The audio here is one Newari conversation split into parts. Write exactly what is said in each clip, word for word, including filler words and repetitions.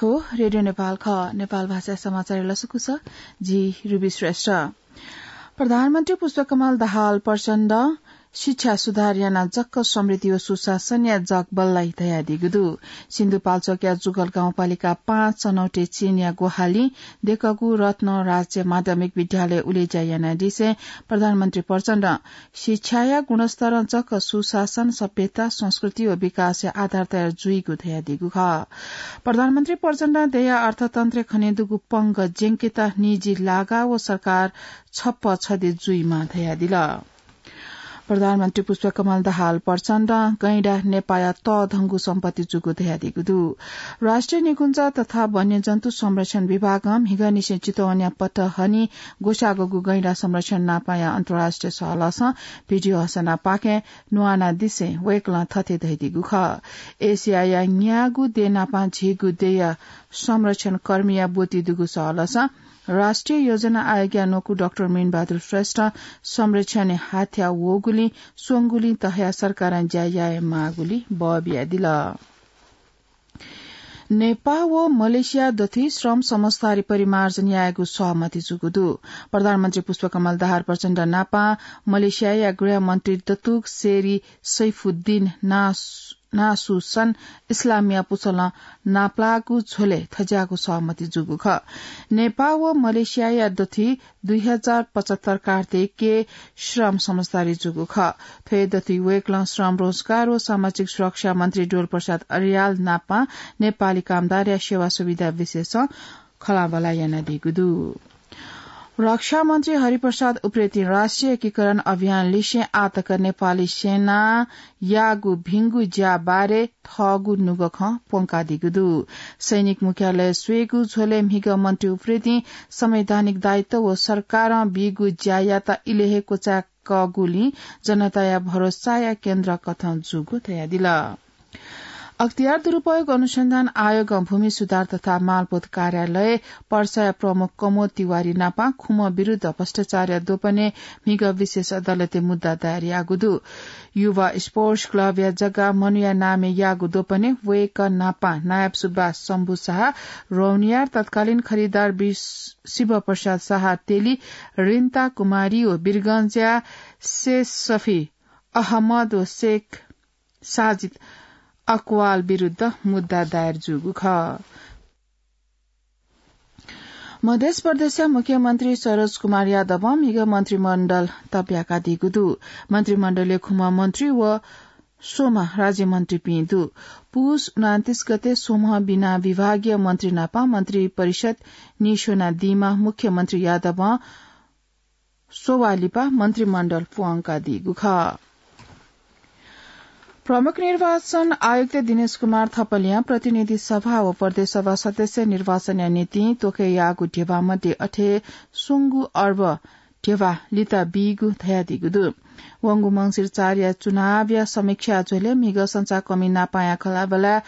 हो, रेडियो नेपाल खः। नेपाल भाषा समाचार लसकुस, जि रुबी श्रेष्ठ। प्रधानमन्त्री पुष्पकमल दाहाल प्रचण्ड शिक्षा सुधार यानाः जक्क समृद्धि व सुशासनया जग बल्लाइ धयादीगु दु। सिन्धुपाल्चोकया जुगल गाउँपालिका पाँच चनौटे चीनया ग्वाहालिं देकःगु रत्न राज्य माध्यमिक विद्यालय उलेज्या यानादिसें प्रधानमन्त्री प्रचण्ड शिक्षाया गुणस्तरं जक सुशासन, सभ्यता, संस्कृति व विकासया आधार तयार जुइगु धयादीगु खः। प्रधानमन्त्री प्रचण्डं देय्‌या अर्थतन्त्रय् खनेदुगु पंग ज्यंकेत निजी लागा व सरकार छप्पँ छधे जुइमाः धयादिल। प्रधानमन्त्री पुष्पकमल दाहाल प्रचण्डं गैंडा नेपाःया तःधंगु सम्पत्ति जूगु धयादीगु दु। राष्ट्रिय निकुञ्ज तथा वन्यजन्तु संरक्षण विभागं म्हिगःनिसें चितवनया पटहनी ग्वसाःगु गैंडा संरक्षण नापाँया अन्तर्राष्ट्रिय सहलहसं भिडियो हसनापाखें न्वानादिसें वय्‌कलं थथे धयादीगु खः। एसियाया न्यागू देय् नापां झीगु देय्‌या संरक्षण कर्मीया ब्वति दुगु सहलहसं राष्ट्रिय योजना आयोगया न्वकू डाक्टर मीनबहादुर श्रेष्ठं संरक्षणय् हाथ्या वःगुलिं स्वंगुलिं तहया सरकारं ज्या याये माःगुलिं बः बियादिल। नेपाः व मलेसिया दथुइ श्रम समझदारी परिमार्जन यायेगु सहमति जूगु दु। प्रधानमन्त्री पुष्पकमल दाहाल प्रचण्ड नापां मलेसियाया गृहमन्त्री दतुक सेरी सैफुद्दिन नास-, नासुसन इस्लामया पुचलं नापलाःगु झ्वलय् थज्याःगु सहमति जूगु खः। नेपाः व मलेसियाया दथुइ दुई हजार पचहत्तर कार्तिकय् श्रम समझदारी जूगु खः। थ्व दथुइ वय्‌कलं श्रम, रोजगार व सामाजिक सुरक्षा मन्त्री डोल प्रसाद अर्याल नापां नेपाली कामदारया सेवा सुविधा विषयसं खँल्हाबल्हा यानादीगु दु। रक्षा मन्त्री हरिप्रसाद उप्रेतीं राष्ट्रिय एकीकरण अभियान लिसें आःतक नेपाली सेनां याःगु भिंगु ज्या बारे थःगु नुगः खँ प्वंकादीगु दु। सैनिक मुख्यालय स्वयेगु झ्वलय् म्हिगः मन्त्री उप्रेतीं संवैधानिक दायित्व व सरकारं बीगु ज्यायात इलय् हे क्वचाय्‌कःगुलिं जनताया भरोसाया केन्द्र कथं जूगु धयादिल। अख्तियार दुरुपयोग अनुसन्धान आयोगं भूमि सुधार तथा मालपोत कार्यालय पर्साया प्रमुख कमोद तिवारी नापां खुम्ह विरुद्ध भ्रष्टाचारया द्वपनय् म्हिगः विशेष अदालतय् मुद्दा दायर याःगु दु। युवा स्पोर्ट्स क्लबया जग्गा मनुया नामय् याःगु द्वपनय् वय्‌कः नापां नायब सुब्बा, शम्भु शाह, रौनियार तत्कालीन खरिदार वि-, शिवप्रसाद शाह तेली, रिन्ता कुमारी व वीरगंजया शेष सफी अहमद व शेख साजिद अकवाल विरुद्ध मुद्दा दायर जूगु खः। मध्य प्रदेशया मुख्यमन्त्री सरोज कुमार यादवं म्हिगः मन्त्रीमण्डल तब्याकादीगु दु। मन्त्रीमण्डलय् खुम्ह मन्त्री व स्वम्ह राज्यमन्त्रीपिं दु। पुस उनान्तीस गते स्वम्ह बिना विभागीय मन्त्री नापं मन्त्री परिषद नीस्वनादीम्ह मुख्यमन्त्री यादवं स्ववाः लिपा मन्त्रीमण्डल प्वंकादीगु खः। प्रमुख निर्वाचन आयुक्त दिनेश कुमार थपलियां प्रतिनिधि सभा व प्रदेश सभा सदस्य निर्वाचनया निंतिं त्वःके याःगु ध्यबा मध्ये अथे स्वंगू अर्ब ध्यबा लिता बीगु धयादीगु दु। वंगु मंसिर चारया चुनावया समीक्षा झ्वलय् म्हिगः संचारकर्मी नापांया खँल्हाबल्हाय्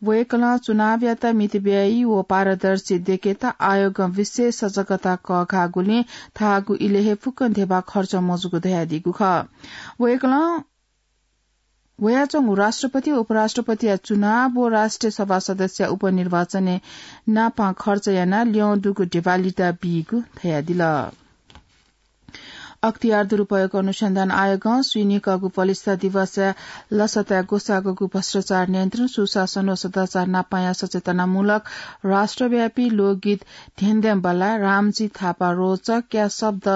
वय्‌कलं चुनावयात मितव्ययी व पारदर्शी दयेकेत आयोगं विशेष सजगता कःघाःगुलिं थःगु इलय् हे फुक्कं ध्यबा खर्च मजूगु धयादीगु खः। वय्‌कलं वयाच्वंगु राष्ट्रपति, उपराष्ट्रपतिया चुनाव व राष्ट्रिय सभा सदस्यया उपनिर्वाचनय् नापां खर्च यानाः ल्यं दुगु ध्यबा लिता बीगु धयादिल। अख्तियार दुरुपयोग अनुसन्धान आयोगं स्वीनिकःगु पलिस्था दिवसया लसताय् ग्वसाःगु भ्रष्टाचार नियन्त्रण, सुशासन व सदाचार नापांया सचेतनामूलक राष्ट्रव्यापी लोकगीत धेंधेंबल्लाय् रामजी थापा रोचकया शब्द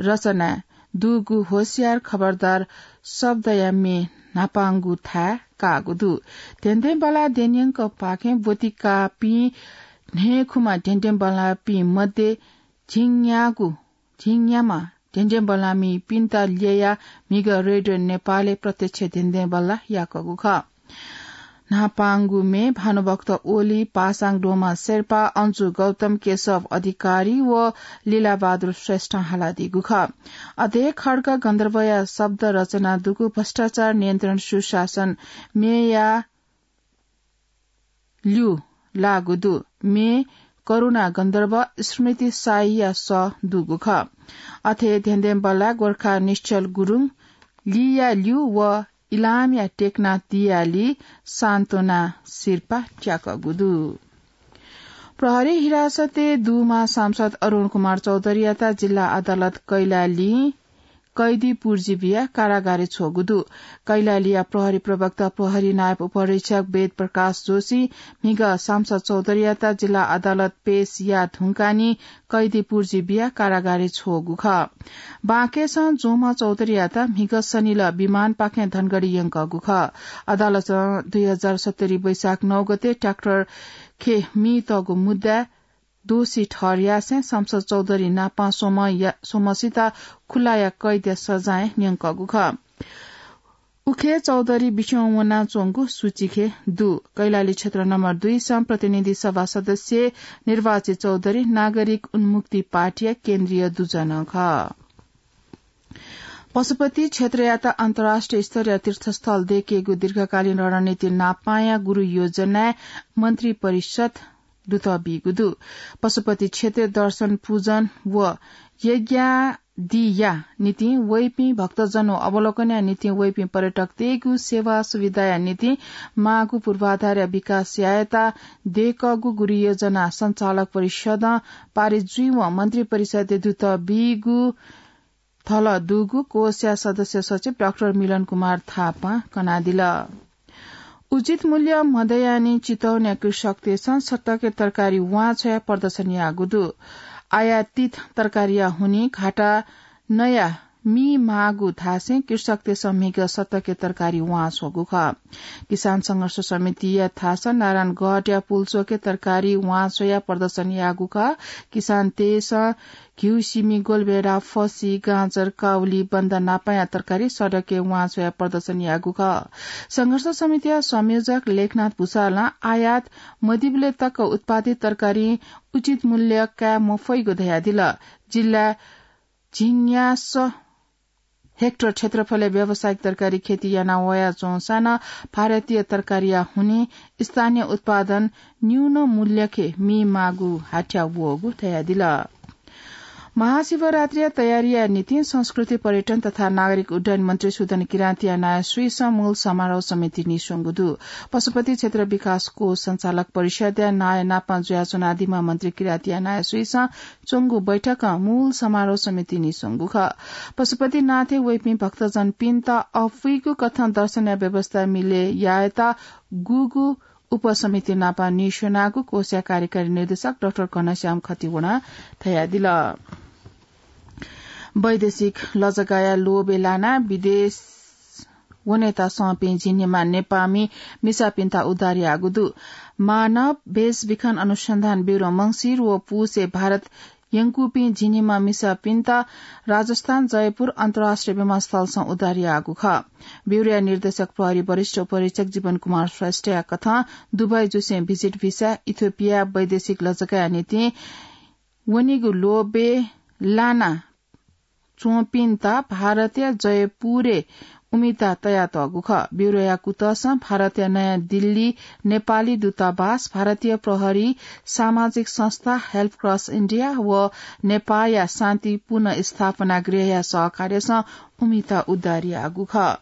रचनाय् दुगु होशियार खबरदार शब्दया म्ये न्हापांगु थाय् काःगु दु। धेंधेंबल्लाः द्यनेयंकःपाखें ब्वति काःपिं न्हय्‌खुम्ह धेंधेंबल्लाःपिं मध्ये झिंन्यागू झिंन्याम्ह धेंधेंबल्लाःमिपिन्त ल्ययाः म्हिगः रेडियो नेपालय् प्रत्यक्ष धेंधेंबल्लाः याकूगु खः। न्हापांगु म्ये भानुभक्त ओली, पासाङ डोमा शेर्पा, अन्जु गौतम, केशव अधिकारी व लीलाबहादुर श्रेष्ठं हालादीगु खः। अथे खड्ग गन्धर्वया शब्द रचना दुगु भ्रष्टाचार नियन्त्रण सुशासन म्येया ल्यू लाःगु दु। म्ये करुणा गन्धर्व स्मृति शाहीया सः दुगु खः। अथे धेंधेंबल्लाः गोर्खा निश्चल गुरुङ, लीया ल्यू व इलामया टेकनाथ दियाली सान्त्वना सिरपाः त्याकूगु दु। प्रहरी हिरासतय् दुम्ह सांसद अरुण कुमार चौधरीयात जिल्ला अदालत कैलालीं कैदी पुर्जी बियाः कारागारय् छ्वःगु दु। कैलालीया प्रहरी प्रवक्ता प्रहरी नायब उपरीक्षक वेद प्रकाश जोशीं म्हिगः सांसद चौधरीयात जिल्ला अदालत पेश याः धुंकाः नि कैदी पुर्जी बियाः कारागारय् छ्वःगु खः। बांकेसं ज्वंम्ह चौधरीयात म्हिगः सनिलः विमानपाखें धनगढी यंकःगु खः। अदालतं दुई हजार सत्तरी वैशाख नौ गते ट्र्याक्टर खे मीतःगु मुद्दाय् दोषी ठहर यासें सांसद चौधरी नापं स्वम्ह या-, स्वम्हसित खुल्लाया कैदया सजाय न्यंकःगु खः। उखे चौधरी बिस्युं वनाच्वंगु सूचीखे दु। कैलाली क्षेत्र नम्बर दुई सं प्रतिनिधि सभा सदस्य निर्वाचित चौधरी नागरिक उन्मुक्ति पार्टीया केन्द्रीय दुजन खः। पशुपति क्षेत्रयात अन्तर्राष्ट्रिय स्तरीय तीर्थस्थल दयेकेगु दीर्घकालीन रणनीति नापांया गुरु योजनाय् मन्त्री परिषद दुत बीगु दु। पशुपति क्षेत्र दर्शन पूजन व यज्ञादिया निंतिं वइपिं भक्तजन व अवलोकनया निंतिं वइपिं पर्यटकतय्गु सेवा सुविधाया निंतिं माःगु पूर्वाधारया विकास यायेत दयेकःगु गुरु योजना सञ्चालक परिषदं पारित जुइवं मन्त्री परिषदय् दुत बीगु थल दुगु कोषया सदस्य सचिव डाक्टर मिलन कुमार थापां कनादिल। उचित मूल्य मदयानि चितवनया कृषकतय्सं सतके तरकारी वां छ्वयाः प्रदर्शन याःगु दु। आयातित तरकारीया हुनिं घाटा नयाः मी माःगु धासें कृषकतय्सं म्हिगः सतके तरकारी वां छ्वःगु खः। किसान संघर्ष समितिया थासं नारायणगढया पुल्चोकय् तरकारी वां छ्वयाः प्रदर्शन याःगु खः। किसानतय्सं घिउ, सिमी, गोलभेडा, फसि, गाजर, काउली, बन्द नापांया तरकारी सडकय् वां छ्वयाः प्रदर्शन याःगु खः। संघर्ष समितिया संयोजक लेखनाथ भुसालं आयात मदीबलय् तक उत्पादित तरकारी उचित मूल्य काये मफइगु धयादिल। जिल्लाय् झिंन्यासः हेक्टर क्षेत्रफलय् व्यावसायिक तरकारी खेती याना वयाच्वंसां नं भारतीय तरकारीया हुनिं स्थानीय उत्पादन न्यून मूल्यखे मी माःगु हाथ्या वःगु धयादिल। महाशिवरात्रिया तयारीया निंतिं संस्कृति, पर्यटन तथा नागरिक उड्डयन मन्त्री सुदन किरातीया नायः सुइसं मूल समारोह समिति नीस्वंगु दु। पशुपति क्षेत्र विकास कोष सञ्चालक परिषदया नायः नापं जुयाच्वनादीम्ह मन्त्री किरातीया नायः सुइसं च्वंगु बैठकं मूल समारोह समिति नीस्वंगु खः। पशुपतिनाथय् वइपिं भक्तजनपिन्त अःपुइगु कथं दर्शनया व्यवस्था मिले यायेत गुगु उपसमिति नापं नीस्वनागु कोषया कार्यकारी निर्देशक डाक्टर घनश्याम खतिवडं धयादिल। वैदेशिक लजगाया लोभय् लानाः विदेश वनेत सःपिं झिंनिम्ह नेपाःमि मिसापिन्त उद्धार याःगु दु। मानव भेषविखन अनुसन्धान ब्यूरो मंसिर व पुसय् भारत यंकूपिं झिंनिम्ह मिसापिन्त राजस्थान जयपुर अन्तर्राष्ट्रिय विमानस्थलसं उद्धार याःगु खः। ब्यूरोया निर्देशक प्रहरी वरिष्ठ उपरीक्षक जीवन कुमार श्रेष्ठया कथं दुबई जुसें भिजिट भिसा इथियोपिया वैदेशिक लजगाया निंतिं वनेगु लोभय् लाना च्वंपिन्त भारतया जयपुरय् उमिता तयातःगु खः। ब्यूरोया कुतसं भारतया नयाँ दिल्ली नेपाली दूतावास, भारतीय प्रहरी, सामाजिक संस्था हेल्प क्रस इन्डिया व नेपाःया शान्ति पुनर्स्थापना गृहया सहकार्यसं उमिता उद्धार याःगु खः।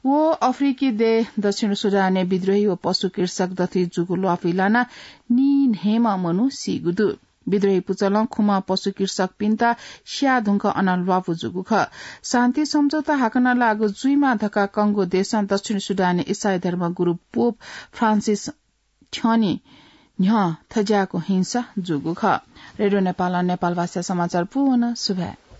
व अफ्रिकी देश दक्षिण सुडानय् विद्रोही व पशु कृषक दथुइ जूगु ल्वापुइ लानाः नीन्हय्म्ह मनू सीगु दु। विद्रोही पुचलं खुम्ह पशु कृषकपिन्त स्याः धुंकः अन ल्वापु जूगु खः। शान्ति सम्झौता हाकनं लागू जुइमा धकाः कंगु देशं दक्षिण सुडानय् इसाई धर्म गुरु पोप फ्रान्सिस थ्यंनि न्ह्यः थज्याःगु हिंसा जूगु खः। रेडियो नेपालं नेपाल भाषा समाचार पूवन सुभाय्।